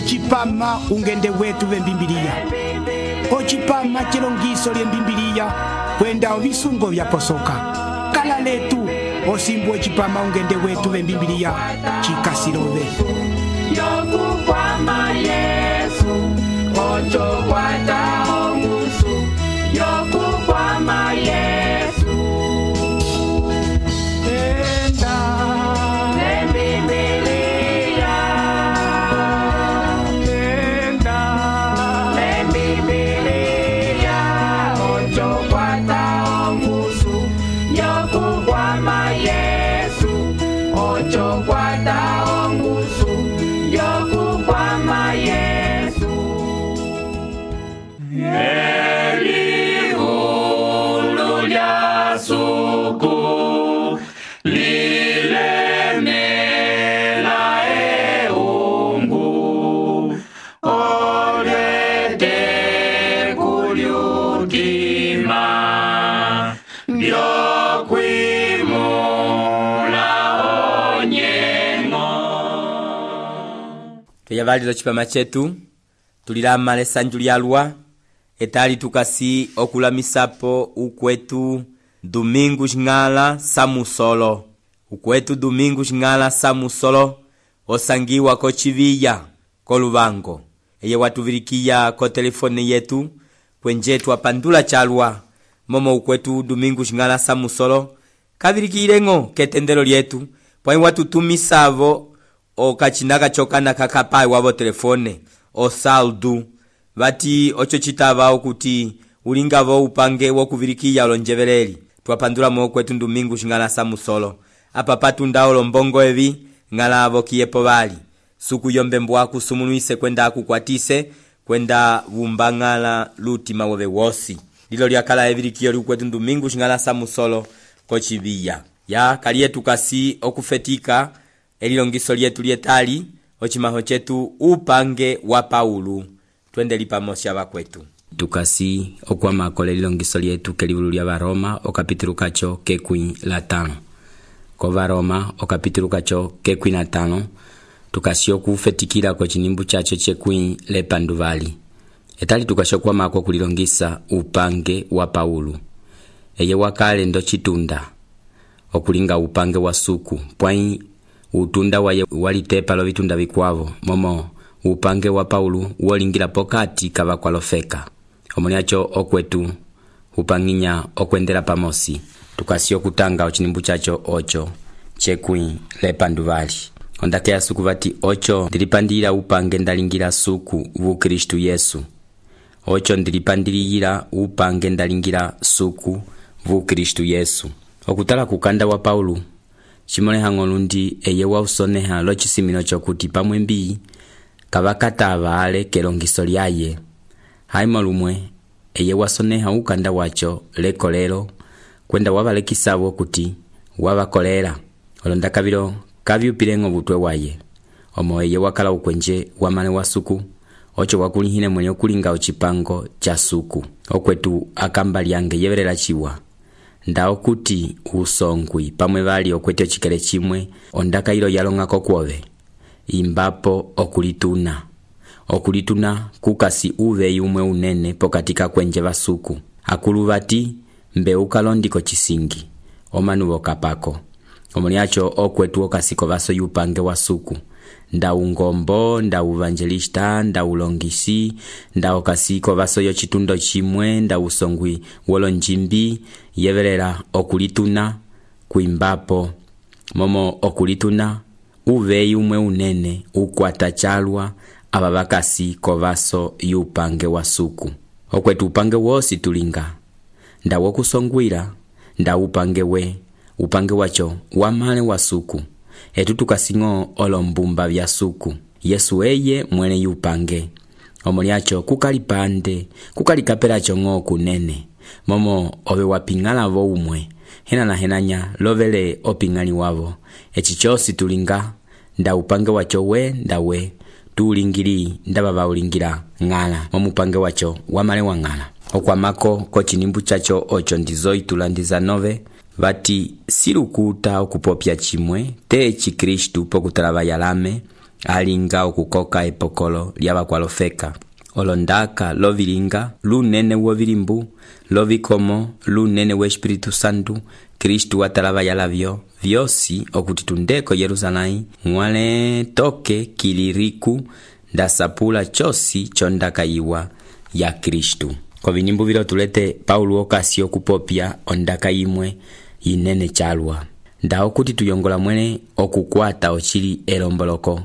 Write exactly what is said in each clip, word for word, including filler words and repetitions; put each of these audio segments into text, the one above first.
Ochipama ungende wetu vembimbilia. Ochipama chilongiso lye mbimbilia kwenda ovisungo vya posoka. Kala letu osimbu ochipama ungende wetu vembimbilia chikasilove. Yoku kwama Yesu ocho kwata ongusu. Yoku kwama Yesu enda lembibilia enda lembibilia ocho kwata ongusu. Yoku kwama Yesu ocho kwata ongusu. Yoku kwama Yesu Eli ulu lya suku lilemela eungu olete kulyutima lyokwimula onyengo. Tuyavaliza chipama chetu tulilama lesanju lyalwa etali tukasi okulamisapo ukwetu Domingo Ng'ala Samusolo. Ukwetu Domingo Ng'ala Samusolo osangiwa ko Chiviya ko Lubango. Eye watuvirikia ko telefone yetu kwenjetu apandula chalwa momo ukwetu Domingo Ng'ala Samusolo kavirikirengo ketendelo lyetu pwa watutumisavo o kachinaka chokana kakapai wabo telefone o saldu vati ocho chitava okuti ulingavo upange wokuvirikia olonjevereli twapandula mo kwetu Domingo Ng'ala Samusolo apa patunda olombongo evi ngala avo kiyepo vali suku yombe mbwaku sumunuise kwenda akukwatise kwenda vumbangala lutima wove wosi lilo lyakala evirikio lyukwetu Domingo Ng'ala Samusolo ko Chiviya ya kalietu kasi okufetika elilongiso lyetu lyetali ochimaho chetu upange wa Paulu twende lipamosya vakwetu tukasi okwama kole lilongiso lyetu kelivulu lya Varoma okapitulu kacho kekwi la tano ko Varoma okapitulu kacho kekwi na tano tukasi okufetikila ko chinimbu chacho chekwi lepanduvali etali tukasi okwama ko kulilongisa upange wa Paulu eye wakale ndo chitunda okulinga upange wa suku pwai utunda waye walitepa lo vitunda vikwavo momo upange wa Paulu wolingira pokati kava kwalofeka omoniacho okwetu upanginya okwendela pamosi tukasi okutanga ochinimbu chacho ocho chekwi lepanduvali ondake ya suku vati ocho ndilipandira upange ndalingira suku vu Kristu Yesu ocho ndilipandira upange ndalingira suku vu Kristu Yesu okutala kukanda wa Paulu chimole lundi eye wa usoneha lo chisimino chokuti pamwe mbi kavakatava ale kelongiso lyaye haimo lumwe eye wasoneha ukanda wacho lekolelo kwenda wavalekisavo kuti wavakolera olonda kavilo kavyupilengo butwe waye omo eye wakala ukwenje wamane wa suku ocho wakulihine mwenye okulinga uchipango cha suku okwetu akamba lyange yeverela chiwa ndao kuti usongwi pamwe vali okwete chikele chimwe ondaka ilo yalongako kwove imbapo okulituna okulituna kukasi uve yumwe unene pokatika kwenje vasuku akuluvati mbe ukalondiko chisingi omanu wokapako omoniacho okwetu okasiko vaso yupange wa suku nda ungombo nda evangelista nda ulongisi nda okasiko vaso yo chitundo chimwe nda usongwi wolonjimbi yeverera okulituna kuimbapo momo okulituna uve yumwe unene ukwata chalwa aba vakasi kovaso yupange wa suku okwetu upange wosi tulinga nda wokusongwira nda upange we upange wacho wamale wa suku etu tukasingo olombumba vya suku Yesu eye mwene yupange omoliacho kukalipande kukalikapela chongo kunene momo ove wapingala vo umwe hena na henanya lovele opingani wavo echichosi tulinga nda upange wacho we nda we tuulingiri ndaba baulingira ngala omupange wacho wamale wa ngala okwamako ko chinimbu chacho ocho ndizo itulandiza nove vati silukuta okupopya chimwe te chi Kristu pokutalava yalame alinga okukoka epokolo lyavakwalofeka. Olondaka lovilinga lunene wovilimbu, lovikomo lunene we Espiritu Santu, Kristu watalava yalavyo vyosi okuti tundeko Yerusalai ng'wale toke kiliriku ndasapula chosi chondaka yiwa ya Kristu. Kovinimbu vilo tulete Paulo okasi okupopya ondaka yimwe yinene chalwa. Nda okuti tuyongola mwene okukwata ochili elomboloko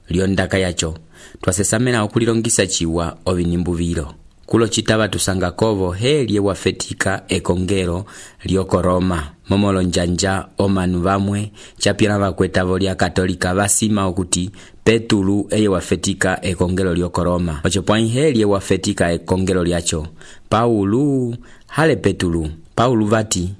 lyondaka yacho. Twasesamena okulilongisa chiwa ovinimbu vilo. Kulo chitava tusanga kovo helye wafetika ekongelo lyoko Roma. Momolo njanja omanu vamwe chapira vakwetavo lya katolika vasima okuti Petulu eye wafetika ekongelo lyoko Roma. Ocho pwani helye wafetika ekongelo lyacho. Paulu hale Petulu. Paulu vati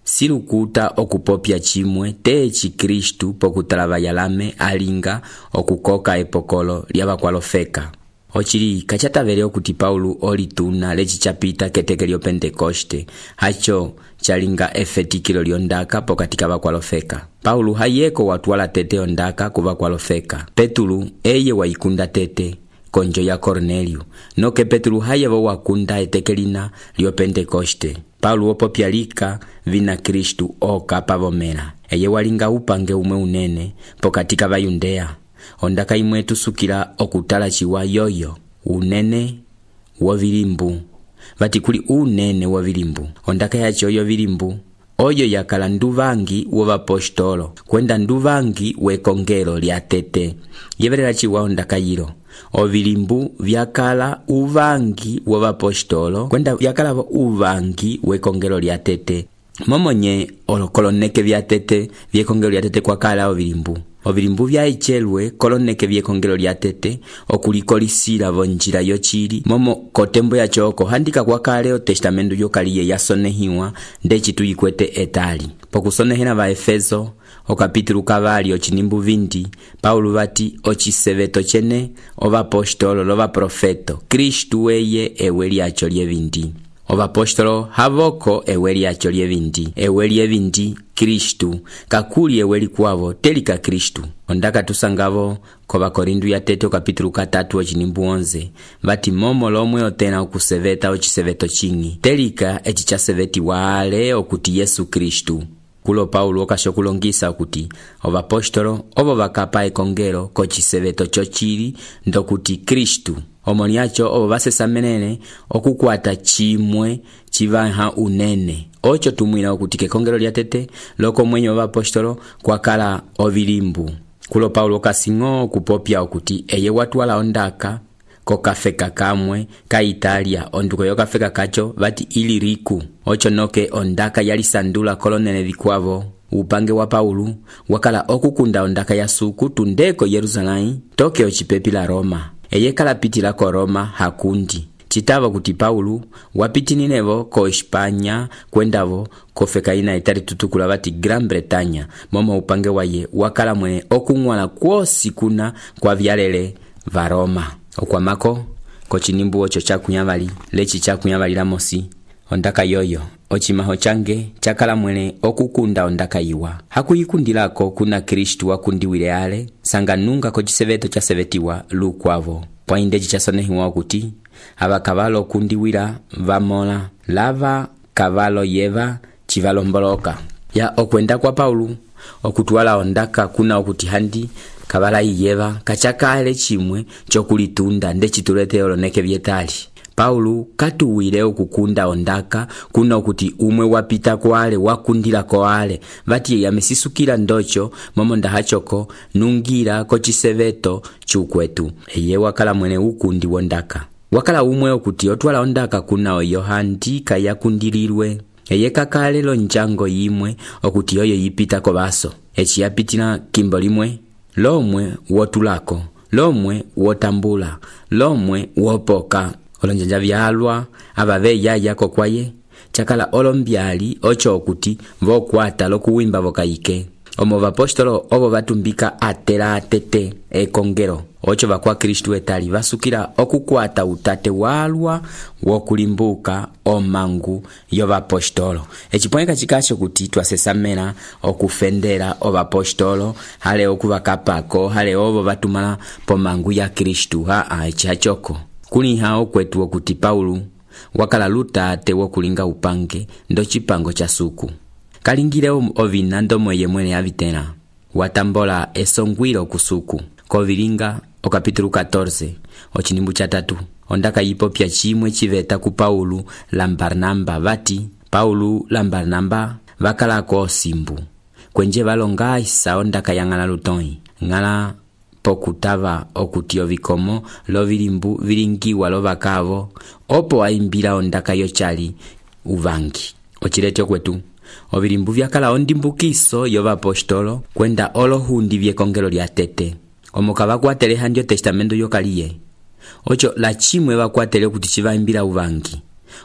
silukuta okupopya chimwe techi Kristu pokutalava yalame alinga okukoka epokolo lyavakwalofeka. Ochili kachatavele okuti Paulu olituna lechi chapita keteke lyo Pentekoste hacho chalinga efetikilo lyondaka pokatika vakwalofeka. Paulu hayeko watwala tete ondaka kuvakwalofeka. Petulu eye waikunda tete konjo ya Cornelio. Noke Petulu hayevo wakunda etekelina lyo Pentekoste. Paulo opopya lika vina Kristu oka pavomera. Eye walinga upange umwe unene pokatika vayundea. Ondaka imwe tusukila okutala chiwa yoyo unene wovilimbu. Vati kuli unene wovilimbu. Ondaka yacho yo vilimbu oyo yakala nduvangi wovapostolo kwenda nduvangi wekongelo lya tete. Yeverera chiwa ondaka yilo ovilimbu vyakala uvangi wovapostolo kwenda vyakala uvangi wekongelo lya tete. Momonye olokoloneke vya tete vyekongelo lya tete kwa kala ovilimbu. Ovilimbu vya ichelwe koloneke vyekongelo lya tete okulikolisila vonjila yochili momo kotembo ya choko handika kwa kale o testamentu yokaliye yasonehiwa ndechi tuyikwete etali. Pokusonehena va Efeso okapitulu kavali ochinimbu vindi Paulo vati ochiseveto chene ovapostolo lova profeto Kristu eye ewe lyacho lyevindi. Ovapostolo havoko ewe lyacho lyevindi. Ewe lyevindi Kristu kakuli ewe likwavo telika Kristu. Ondaka tusangavo kova Korindu ya tete okapitulu katatu ochinimbu onze vati momo lomwe otena okuseveta ochiseveto chingi telika echi chaseveti wale okuti Yesu Kristu. Kulo Paulo okashokulongisa okuti ovapostolo ovo vakapa ekongelo kochiseveto chochili ndokuti Kristu. Omoni yacho ovo vasesamenene okukwata chimwe chivaha unene. Ocho tumwina okuti kekongelo lya tete loko mwenye ovapostolo kwakala ovilimbu. Kulo Paulo okasingo kupopya okuti eye watwala ondaka kokafeka kamwe ka Italia onduko yokafeka kacho vati Iliriku. Ocho noke ondaka yalisandula kolonene vikwavo. Upange wa Paulo wakala okukunda ondaka ya suku tundeko Yerusalai toke ochipepi la Roma. Eye kalapitila ko Roma hakundi. Chitava kuti Paulo wapitininevo ko Espanya kwendavo kofeka ina itari tutukula vati Gran Bretaña. Momo upange waye wakala mwene okungwala kwosi kuna kwa vyalele va Roma. Okwamako kochinimbu ocho chakunyavali lechi chakunyavali la mosi ondaka yoyo ochimaho change chakala mwene okukunda ondaka yiwa. Hakuyikundilako kuna Kristu wakundiwile ale sanga nunga kochiseveto chasevetiwa lukwavo. Poindeji chasonehiwa okuti ava kavalo kundiwila vamola lava kavalo yeva chivalomboloka. Ya okwenda kwa Paulo okutwala ondaka kuna okuti handi kavala yeva kachakale chimwe chokulitunda ndechitulete oloneke vyetali. Paulo katuwile okukunda ondaka kuna okuti umwe wapita kwale wakundila kwale vati yamesisukila ndocho momo ndahachoko nungira kochiseveto chukwetu. Eye wakala mwene ukundi wondaka. Wakala umwe okuti otwala ondaka kuna oyo handika yakundililwe. Eye kakale lonjango yimwe okuti oyo yipita ko baso. Echi yapitila kimbo limwe lomwe wotulako, lomwe wotambula, lomwe wopoka. Olonjanja vyalwa abave yaya kokwaye chakala olombyali ocho okuti vokwata lokuwimba vokayike. Omo vapostolo ovo vatumbika atela atete ekongelo ocho vakwa Kristu etali vasukila okukwata utate walwa wokulimbuka omangu yovapostolo. Ecipoeka cikacho kuti twasesamela okufendela ovapostolo hale okuvakapako hale ovo vatumala pomangu ya Kristu. Haa eci hachoko kuliha okwetu okuti Paulu wakala lutate wokulinga upange ndo cipango cha suku kalingile ovina ndomo yemwene avitela watambola esongwilo kusuku kovilinga okapitulu katorze ochinimbu cha tatu ondaka yipopya chimwe chiveta ku Paulu la Barnaba vati Paulu la Barnaba vakalako osimbu kwenje valonga isa ondaka yangala lutoi ngala pokutava okuti ovikomo lovilimbu vilingiwa lovakavo opo aimbila ondaka yochali uvangi. Ochilete okwetu ovilimbu vyakala ondimbukiso yovapostolo kwenda olohundi vyekongelo lya tete omoka vakwatele handio testamento yokaliye ocho la chimwe vakwatele okuti chivaimbila uvangi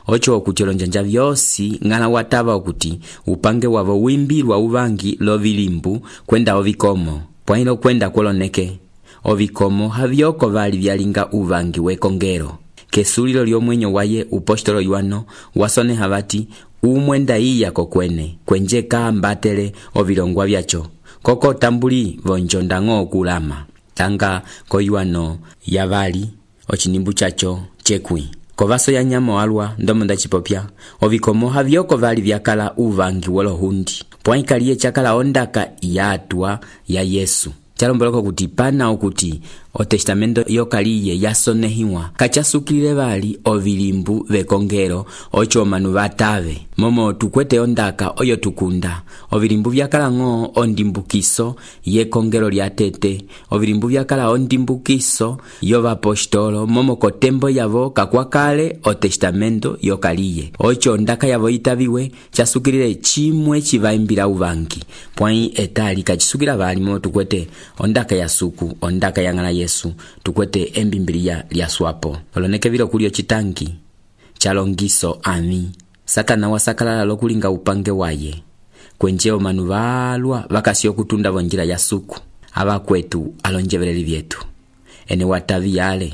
ocho okuti olonjanja vyosi ngala watava okuti upange wavo wimbilwa uvangi lovilimbu kwenda ovikomo pwailo kwenda koloneke ovikomo havyoko vali vyalinga uvangi wekongelo kesulilo lyomwenyo waye upostolo yuano wasone havati umwenda iya kokwene kwenje kambatele ovilongwa vyacho koko tambuli vonjondango okulama tanga koyuano yavali ochinimbu chacho chekwi kovaso ya nyamo alwa ndomonda chipopya ovikomo havyoko vali vyakala uvangi wolohundi pwaikaliye chakala ondaka yatwa ya Yesu chalomboloko kuti pana okuti o testamento yokaliye yasonehiwa kachasukile vali ovilimbu vekongelo ocho manu vatave momo tukwete ondaka oyo tukunda ovilimbu vyakala ngo ondimbukiso yekongelo lya tete ovilimbu vyakala ondimbukiso yovapostolo momo kotembo yavo kakwakale o testamento yokaliye ocho ondaka yavo itaviwe chasukilile chimwe chivaimbila uvangi pwai etali kachisukila vali momo tukwete ondaka ya suku ondaka yangala Yesu tukwete embimbilia lya swapo oloneke vilo kulio chitangi chalongiso ami Satana wasakalala lokulinga upange waye kwenje omanu valwa vakasio kutunda vonjila ya suku ava kwetu alonjeveleli vyetu ene watavi yale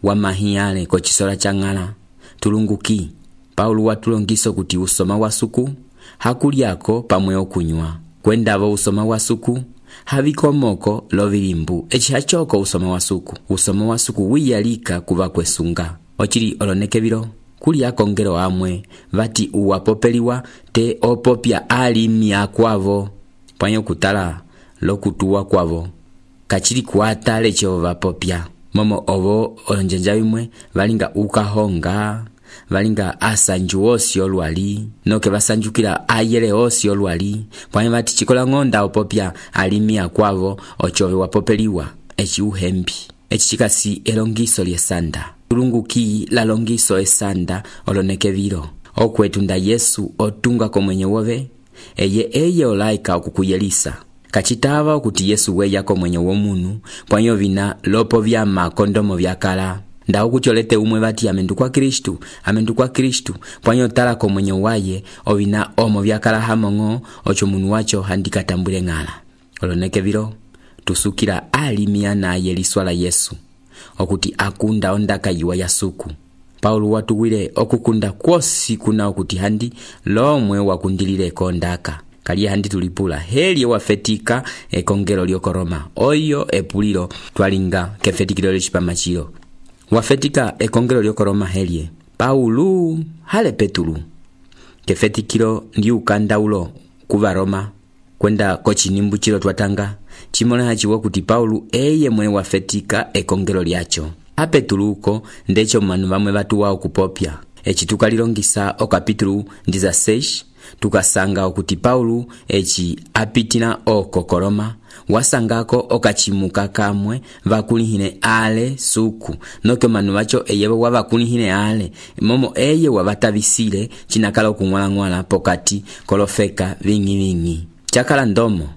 wamahi yale kochisola changala tulunguki Paulu watulongiso kuti usoma wa suku hakuliako pamwe okunywa kwenda vo usoma wa suku havikomoko lovilimbu echi hachoko usoma wa suku usoma wa suku wiyalika kuva kwesunga ochili oloneke vilo kuli akongelo amwe vati uwapopeliwa te opopya alimi akwavo panyo kutala lokutuwa kwavo kachili kuata lecho vapopya momo ovo olonjanja vimwe valinga ukahonga valinga asanju osi olwali noke vasanjukila ayele osi olwali pwanye vati chikola ngonda opopya alimi akwavo ochove wapopeliwa echi uhembi echi chikasi elongiso lyesanda tulunguki la longiso esanda oloneke vilo okwetu nda Yesu otunga komwenye wove eye eye olaika okukuyelisa kachitava okuti Yesu weya komwenye womunu pwanyo vina lopo vya makondomo vyakala nda okucholete umwe vati amendu kwa Kristu amendu kwa Kristu pwanyo tala komwenye waye ovina omo vyakala hamongo ocho munu wacho handikatambule ngala oloneke vilo tusukila alimia na yeliswala Yesu okuti akunda ondaka yiwa ya suku Paulu watuwile okukunda kwosi kuna okuti handi lomwe wakundilile kondaka kaliye handi tulipula heli wafetika ekongelo lyokoroma oyo epulilo twalinga kefetikilo lyochipamachilo wafetika ekongelo lyokoroma helie Paulu hale Petulu kefetikilo ndi ukandaulo kuva Roma kwenda kochinimbu chilo twatanga chimona hachiwa kuti Paulu eye mwene wafetika ekongelo lyacho apetuluko ndecho manu vamwe vatu wao kupopya echi tukalilongisa okapitulu ndiza seis tukasanga okuti Paulu echi apitina oko Koroma wasangako okachimuka kamwe vakulihine ale suku noke manu vacho eye wavakulihine ale momo eye wavatavisile chinakala okungwala-ngwala pokati kolofeka vingi vingi chakala ndomo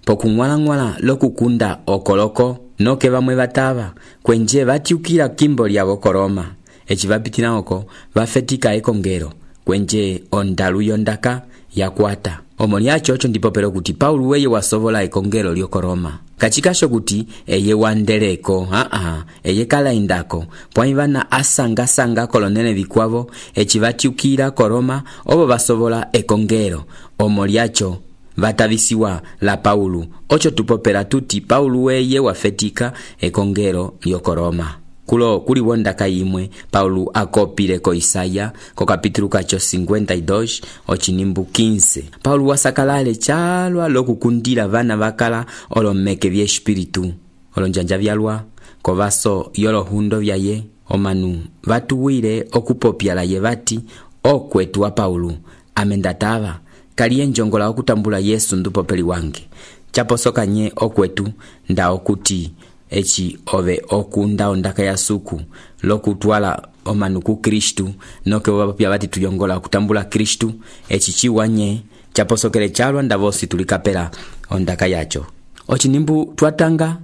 pokungwala-ngwala lokukunda okoloko noke vamwe vatava kwenje vatiukila kimbo lyavo Koroma echi vapitina oko vafetika ekongelo kwenje ondalu yondaka yakwata omo lyacho ocho ndipo pero kuti Paulu weye wasovola ekongelo lyokoroma kachikasho kuti eye wandeleko aa eye kalaindako pwai vana asanga-sanga kolonele vikwavo eci vatyukila ko Roma obo basobola ekongelo omo lyacho vatavisiwa la Paulo. Ocho tupopela tuti Paulo weye wafetika ekongelo lyoko Roma. Kulo kuli wondaka imwe Paulo akopile ko Isaya ko kapitulu kacho cincuenta y dos ochinimbu quince. Paulo wasakalale chalwa lokukundila vana vakala olomeke vye espiritu olonjanja vyalwa ko vaso yolo hundo vyaye omanu vatuwile okupopyala ye vati okwetu wa Paulo amendatava kaliye njongola okutambula Yesu ndupopeli wange chaposoka nye okwetu nda okuti echi ove okunda ondaka ya suku lokutwala omanu ku Kristu noke wapya vati tuyongola okutambula Kristu echi chiwanye chaposokele chalwa ndavosi tulikapela ondaka yacho ochinimbu twatanga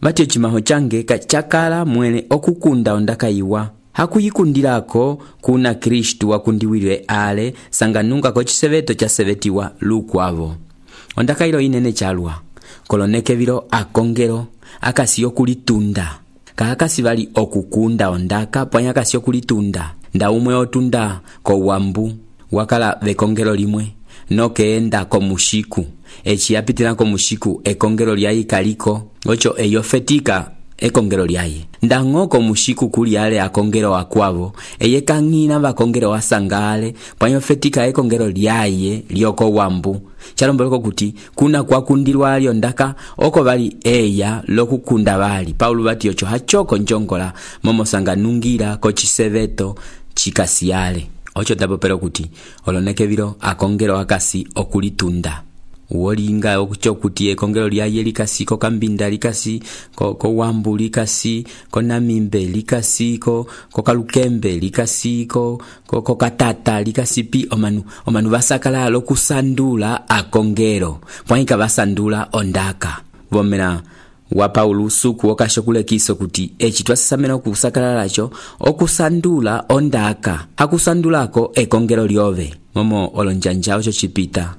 vati ochimaho change kachakala mwene okukunda ondaka iwa hakuyikundilako kuna Kristu wakundiwilwe ale sanganunga ko chiseveto cha sevetiwa lukwavo ondaka ilo inene chalwa koloneke vilo akongelo akasi okulitunda kakasi vali okukunda ondaka pwanya akasi okulitunda nda umwe otunda ko wambu wakala vekongelo limwe nokeenda ko mushiku echi yapitila ko mushiku ekongelo lyayi kaliko ocho eyofetika ekongelo lyaye ndango ko mushiku kuli ale akongelo akwavo eye kangina bakongelo wasangale pwanyo fetika ekongelo lyaye lyoko wambu chalomboleko kuti kuna kwakundilwa alyo ndaka oko bali eya lokukunda bali Paulo bati ocho hachoko njongola momo sanganungira ko chiseveto chikasiale ocho tabopero kuti oloneke biro akongelo akasi okulitunda wolinga okucho kuti ekongelo lyaye likasi ko kambinda likasi ko, ko wambu likasi ko namimbe likasi ko, ko kalukembe likasi ko, ko, ko katata likasi pi omanu omanu basakala lokusandula akongelo pwaika basandula ondaka vomera wa Paulo suku okashokule kiso kuti echi twasasamena okusakala lacho okusandula ondaka akusandulako ekongelo lyove momo olonjanja ocho chipita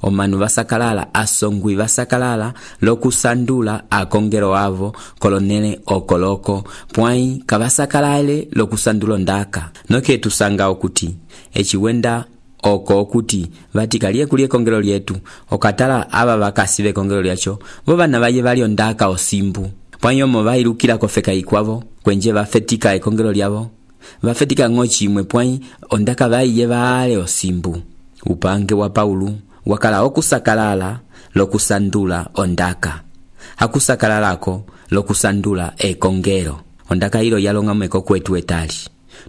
omanu basakalala asongwi basakalala lokusandula akongelo avo kolonele okoloko pwai kabasakalale lokusandula ndaka noke tusanga okuti echiwenda oko okuti vatikalie kulie kongelo lyetu okatala aba bakasibe kongelo lyacho bo bana baye bali ondaka osimbu pwanyo mo bailukira kofeka ikwavo kwenje bafetika ekongelo lyavo bafetika ngochi imwe pwai ondaka baye bale osimbu upange wa Paulo wakala okusakalala lokusandula ondaka hakusakalalako lokusandula ekongelo ondaka ilo yalonga mweko kwetu etali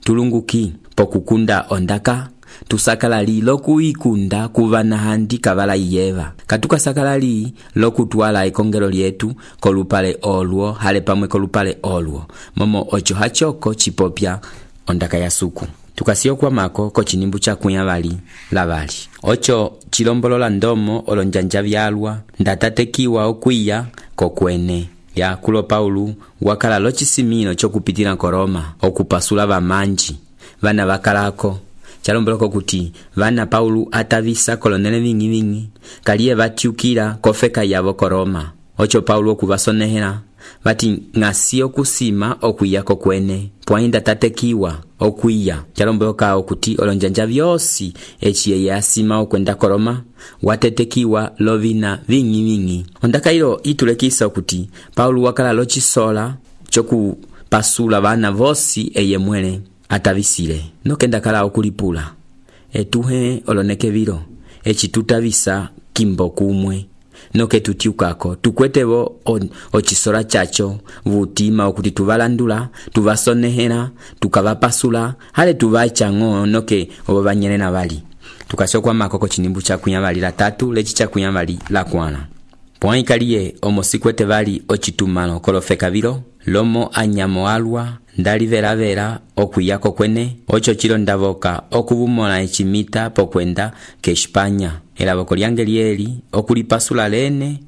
tulunguki pokukunda ondaka tusakalali lokuikunda kuvana handi kabala iyeva katuka sakalali lokutwala ekongelo lyetu kolupale olwo hale pamwe kolupale olwo momo ocho hachoko chipopya ondaka ya suku tukasio kwa mako ko chinimbu cha kunya bali la bali ocho chilombolola ndomo olonjanja byalwa ndatatekiwa okwiya kokwene ya kulo Paulo wakala lochisimino chokupitira ko Roma okupasula bamanji bana bakalako chalomboloko kuti vana Paulo atavisa kolonele vingi vingi kaliye batyukira kofeka yavo ko Roma ocho Paulo kubasonehera bati ngasio kusima okwiya kokwene pwainda tatekiwa okwiya chalomboka okuti olonjanja vyosi echiye yasima okwenda ko Roma watetekiwa lovina vingi vingi ondaka ilo itulekisa okuti Paulo wakala lochisola choku pasula bana vosi eye mwele atavisile nokenda kala okulipula etuhe oloneke biro echitutavisa kimbo kumwe noke tutiukako tukwetebo ochisora chacho vutima okuti tuvalandula tuvasonehera tukavapasula hale tuvachango noke obanyene na bali tukashokwa makoko chinimbu cha kunyabali la tatu lechi cha kunyabali la kwana pwai kaliye omosikwete bali ochitumano kolofeka biro lomo anyamo alwa ndali vera vera okuyako kwene ocho chilo ndavoka okubumola echimita pokwenda ke Espanya elaboko lyange lieli okulipasula lene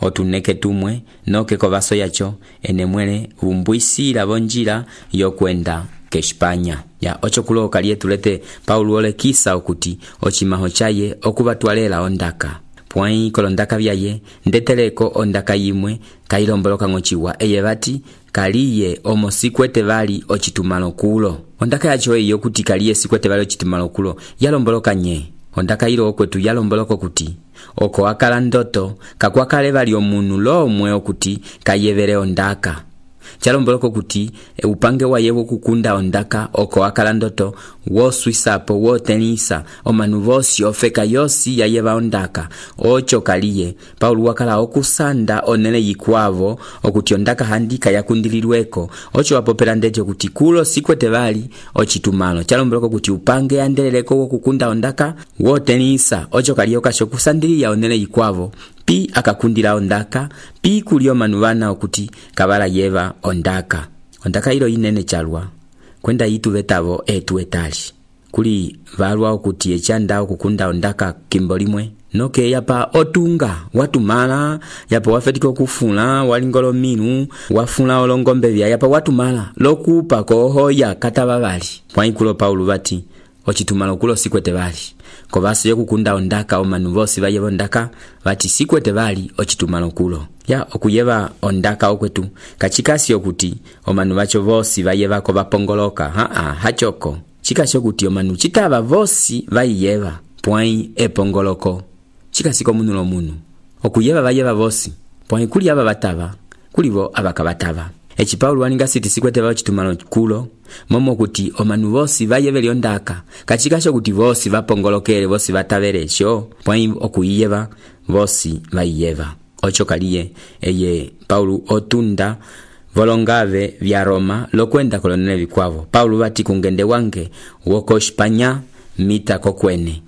otuneke tumwe noke kovaso yacho enemwele umbuisira bonjira yokwenda ke Espanya ya ocho kuloka lietulete Paulo ole kisa okuti ochimaho chaye okubatwalela ondaka pwai kolondaka vyaye ndeteleko ondaka yimwe kailomboloka ng'ociwa eye vati kaliye omo sikwete vali ocitumalo kulo. Ondaka yacho eyo kuti kaliye sikwete vali ocitumalo kulo yalomboloka nye. Ondaka ilo okwetu yalomboloka kuti oko akala ndoto kakwakale vali omunu lomwe okuti kayevere ondaka. Chalomboloko kuti e upange waye wokukunda ondaka oko akala ndoto woswisapo wotenisa omanu vosi ofeka yosi yayeva ondaka ocho kaliye Paulo wakala okusanda onele yikwavo okuti ondaka handika yakundililweko ocho wapopera ndejo kuti kulo sikwete vali ochitumalo. Chalomboloko kuti upange andeleleko wokukunda ondaka wotenisa ocho kaliye okasho kusandiliya onele yikwavo pi akakundila ondaka pi kulio manuvana okuti kabala yeva ondaka. Ondaka ilo inene chalwa kwenda yitu vetavo etu etali kuli valwa okuti echanda okukunda ondaka kimbolimwe noke yapa otunga watumala yapa wafetiko kufula walingolo minu wafula olongombe vya yapa watumala lokupa kohoya kataba vali pwaikulo Paulo vati ochitumalo kulo sikwete vali ko basi yokukunda ondaka omanu vosi vaye ondaka vati sikwete vali ochitumalo kulo ya okuyeva ondaka okwetu kachikasi okuti omanu vacho vosi vaye vako vapongoloka ha ha hachoko chikasi okuti omanu chitava vosi vayeva pwai epongoloko chikasi ko munu lo munu okuyeva vayeva vosi pwai kuli aba batava kulivo abakabatava. Echi Paulo waninga siti sikwete vao chitumalo kulo momo kuti omanu vosi vayeveli ondaka kachikasho kuti vosi vapongolokele vosi vataveresho pwai okuyeva vosi vayeva ocho kaliye eye Paulo otunda volongave vya Roma lokwenda kolonele vikwavo. Paulo vati kungende wange woko Espanya mita kokwene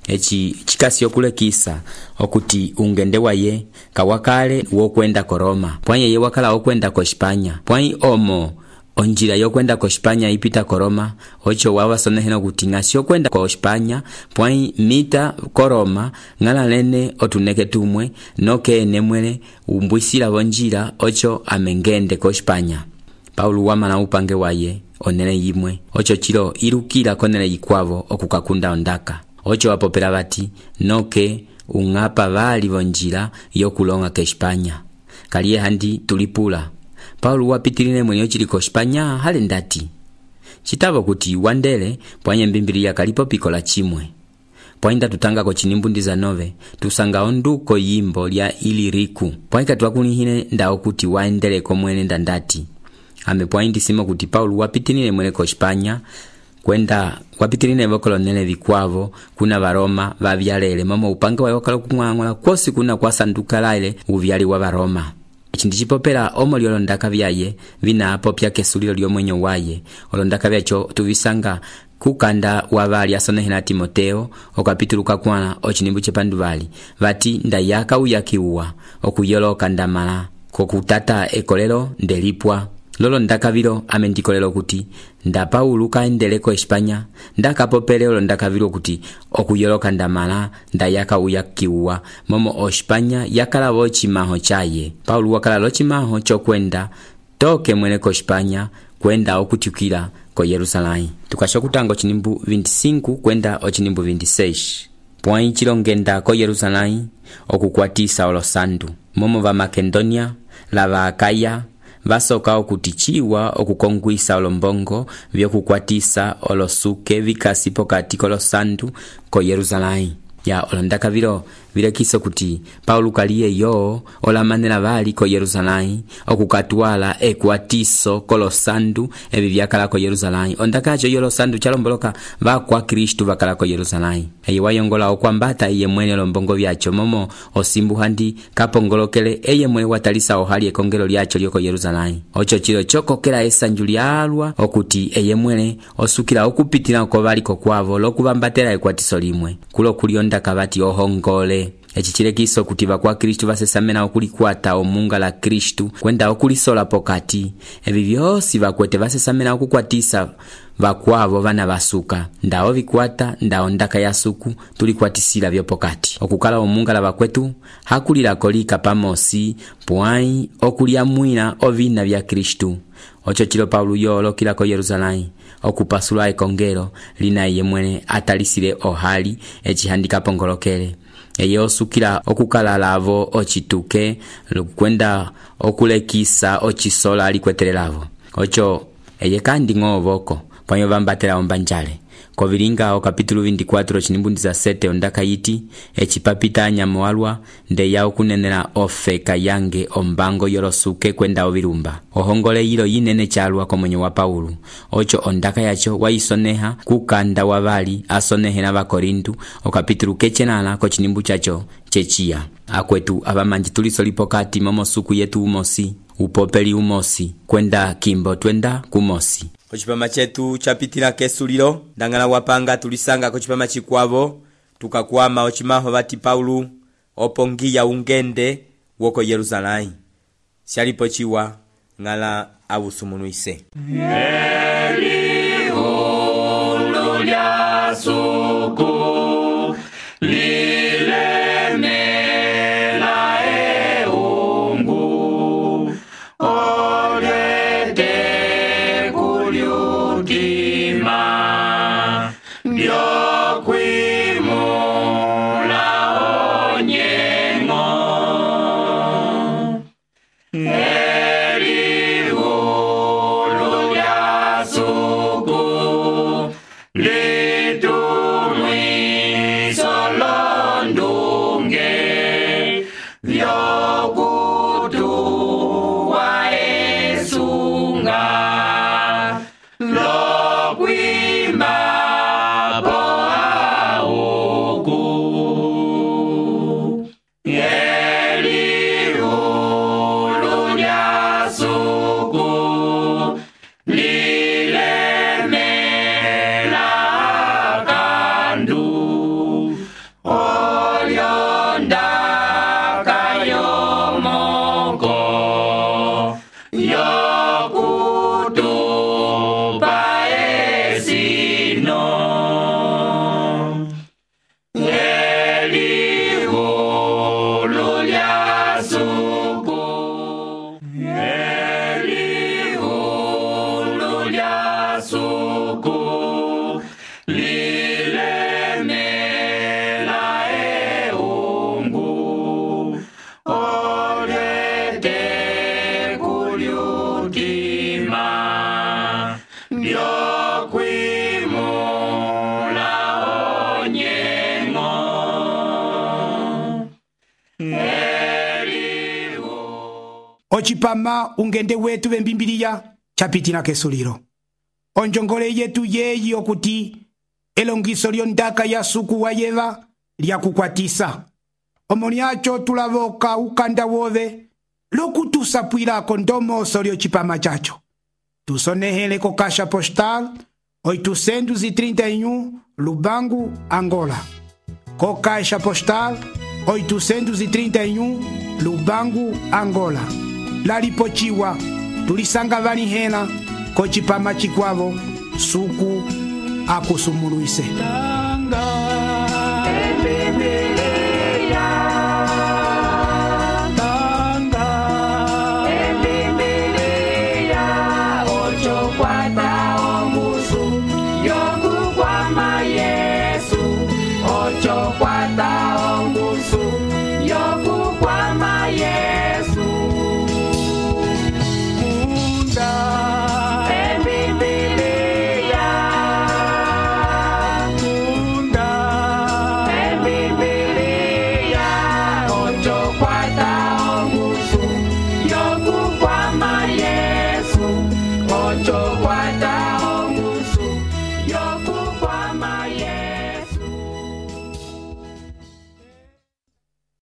echi chikasi okulekisa okuti ungende waye kawakale wokwenda ko Roma pwanye ye wakala okwenda ko Espanya pwai omo onjira yokwenda ko Espanya ipita ko Roma ocho wawa soneheno kuti ngasi okwenda ko Espanya pwai mita ko Roma ngala lene otuneke tumwe noke nemwele umbwisila bonjira ocho amengende ko Espanya. Paulo wamana upange waye onele yimwe ocho chilo irukira konele yikwavo okukakunda ondaka ocho wapopera vati noke ungapa vali vonjira yokulonga ke Espanya kaliye handi tulipula. Paulo wapitilile mwenye ochili ko Espanya hale ndati chitavo kuti wandele pwanye mbimbilia kalipo pikola chimwe pwainda tutanga ko chinimbundi za nove tusanga onduko yimbo lya Iliriku pwaika twakunihine ndao kuti waendele ko mwene ndandati ame pwaindi simo kuti Paulo wapitilile mwenye ko Espanya kwenda wapitilile vokolonele vikwavo kuna varoma vavyalele mama upanga wae wakala kumwangola kosi kuna kwa sanduka laile uvyali wa varoma. Chindi chipopera omo lyolondaka vyaye vina apopya kesulilo lyomwenyo waye olondaka vyacho tuvisanga kukanda wavali asonehena Timoteo okapituluka kwana ochinimbu chepandu vali vati ndayaka uyakiuwa okuyoloka ndamala kokutata ekolelo ndelipwa lolo ndakavilo amendikolelo kuti nda Paulo kaendeleko Espanya ndakapopele olo ndakavilo kuti okuyoloka ndamala ndayaka uyakiuwa momo o Espanya yakala vochimaho chaye. Paulo wakala lochimaho chokwenda toke mwene ko Espanya kwenda okutukila ko Yerusalemu. Tukashokutango chinimbu vinte e cinco kwenda ochinimbu vinte e seis pwai chilongenda ko Yerusalemu okukwatisa olosandu momo va Makedonia lava Akaya vasoka okutichiwa okukongwisa olombongo vyokukwatisa olosuke vikasi pokati kolosandu ko Yerusalemu ya olondaka vilo vilekiso kuti Paulo kaliye yo olamanela vali ko Yerusalemu okukatwala ekwatiso kolosandu ebi byakala ko Yerusalemu ondakacho yolo sandu chalomboloka va kwa Kristo vakala ko Yerusalemu eye wayongola okwambata iye mwene lombongo byacho momo osimbu handi kapongolokele eye mwene watalisa ohali ekongelo lyacho lyoko Yerusalemu ocho chilo chokokela esanju lyalwa okuti eye mwene osukira okupitira ko vali ko kwavo lokubambatela ekwatiso limwe kulo kulionda kabati ohongole echichilekiso kuti vakwa Kristo vasesamena okulikwata omunga la Kristo kwenda okulisola pokati ebi byosi vakwete vasesamena okukwatisa vakwavo vana vasuka ndao vikwata ndao ndaka ya suku tulikwatisila vyo pokati okukala omunga la vakwetu hakulila kolika pamosi pwai okulia mwina ovina vya Kristo ocho chilo Paulo yolo kila ko Yerusalemu okupasula ekongelo lina iye mwene atalisile ohali echihandika pongolokele eye osukila okukala lavo ocituke kwenda okulekisa ocisola alikwetelelavo ocho eye kandi ng'ovoko pwanyo vambatela ombanjale kovilinga o kapítulo vinte e quatro cinimbu dezessete ondaka yiti ecipapita nyamoalwa ndeya okunenela ofeka yange ombango yolosuke kwenda ovilumba ohongole yilo yinene calwa komwenyo wa Paulo ocho ondaka yacho waisoneha kukanda wavali asonehela vakorintu o kapítulo kecenala ko cinimbu chacho checiya akwetu avamanji tulisoli pokati momosuku yetu umosi upopeli umosi kwenda kimbo twenda kumosi. Kochipama chetu chapitila kesulilo ndangala wapanga tulisanga kochipama chikwavo tukakwama ochimaho vati Paulo opongiya ungende woko Yerusalai shalipo chiwa ngala awusumunuise Elihu lya suku lilemela eungu olete kulyutima byokwimula onyengo Elihu lya suku litumwiso londunge vyokutuwa esunga lokwima po auku Elihu lya suku lilemela kandu olyondaka yomoko yokutupa esino Elihu lya suku Elihu lya suku lilemela eungu olete kulyutima byokwimula onyengo Elihu ocipama ungende wetu vembimbiliya chapitila kesulilo onjongole yetu yeyi okuti elongiso lyondaka ya suku wa yeva lyakukwatisa omoni acho tulavoka ukanda wove lokutusapwilako ndomoso lyocipama chacho tusonehele ko caixa postal oitocentos e trinta e um Lubango, Angola ko caixa postal oitocentos e trinta e um Lubango, Angola lalipochiwa tulisanga vanihela ko cipama chikwavo suku akusumuluise Ocho, cuatro.